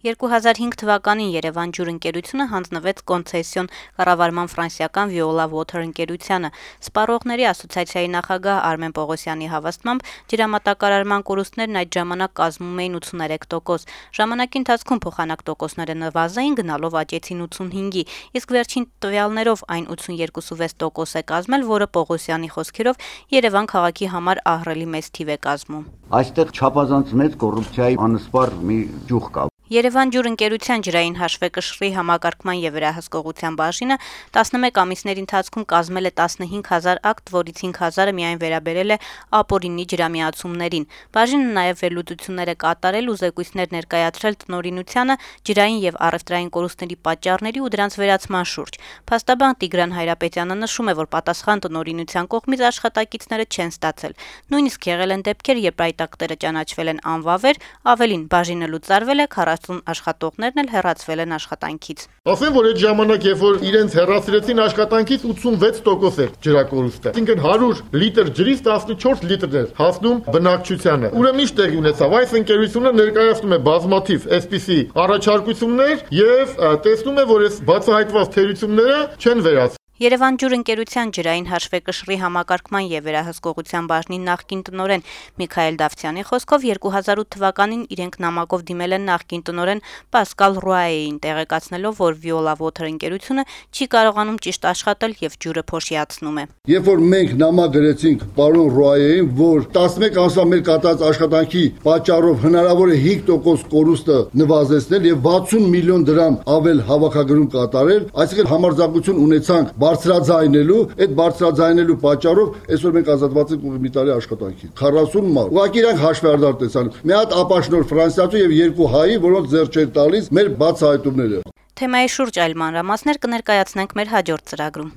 2005 թվականին Երևան ջուր ընկերությունը հանձնվեց կոնցեսիոն կառավարման ֆրանսիական Viola Water ընկերությանը։ Սպառողների ասոցիացիայի նախագահ Արմեն Պողոսյանի հավաստմամբ ջրամատակարարման կորուստներն այդ ժամանակ կազմում էին 83%։ Ժամանակի ընթացքում փոխանակ տոկոսները նվազային, գնալով աճեցին 85-ի, իսկ վերջին տվյալներով այն 82.6% է կազմել, որը Պողոսյանի խոսքերով Երևան քաղաքի համար ահռելի մեծ թիվ է կազմում։ Այստեղ չափազանց մեծ կոռուպցիայի անսպառ մի ճյուղ կա։ Երևան ջուր ընկերության ջրային հաշվեկշռի համակարգման եւ վերահսկողության բաժինը 11 ամիսների ընթացքում կազմել է 15,000 ակտ, որից 5,000-ը միայն վերաբերել է ապօրինի ջրամիացումներին։ Բաժինը նաեւ վերլուծություններ է կատարել ու զեկույցներ ներկայացրել տնօրինությանը ջրային եւ առևտրային կորուստների պատճառների ու դրանց վերացման շուրջ։ Փաստաբան Տիգրան Հայրապետյանը նշում է, որ պատասխան տնօրինության կողմից աշխատակիցները չեն ստացել։ Նույնիսկ եղել են դեպքեր, երբ այդ ակտերը ճանաչվել են անվավեր, ավելին բաժինը լուծարվել է, 40 աշխատողներն էլ հեռացվել են աշխատանքից։ Ասեմ, որ այդ ժամանակ, երբ որ իրենց հեռացրեցին աշխատանքից, 86% էր ջրակորուստը։ Այսինքն 100 լիտր ջրից 14 լիտրն էր հասնում բնակչությանը։ Ուրեմն ինչ տեղի ունեցավ, այս ընկերությունը ներկայացնում է բազմաթիվ այսպիսի առաջարկություններ եւ տեսնում է, որ այս բացահայտված թերությունները չեն վերացվել։ Երևան ջուր ընկերության ջրային հաշվեկշռի համակարգման եւ վերահսկողության բաժնի նախկին տնօրեն Միքայել Դավթյանի խոսքով 2008 թվականին իրենք նամակով դիմել են նախկին տնօրեն Պասկալ Ռուայեին, տեղեկացնելով, որ Viola Water ընկերությունը չի կարողանում ճիշտ աշխատել եւ ջուրը փոշիացնում է։ Երբ որ մենք նամակ գրեցինք պարոն Ռուայեին, որ 11 ամսվա մեր կատարած աշխատանքի պատճառով հնարավոր է 5% կորուստը նվազեցնել եւ 60 միլիոն դրամ ավել հավաքագրում կատարել, այսինքն համարձակություն ունեցանք բարձրաձայնելու, այդ բարձրաձայնելու պատճառով այսօր մենք ազատված ենք մի տարի աշխատանքի 40 մարդ։ Ուղղակի իրանք հաշվարկներ տեսան։ Մի հատ ապաշնոր ֆրանսիացու եւ 2 հայի, որոնց ձեռ չէր տալիս մեր բացահայտումները։ Թեմայի շուրջ այլ մանրամասներ կներկայացնենք մեր հաջորդ ծրագրում։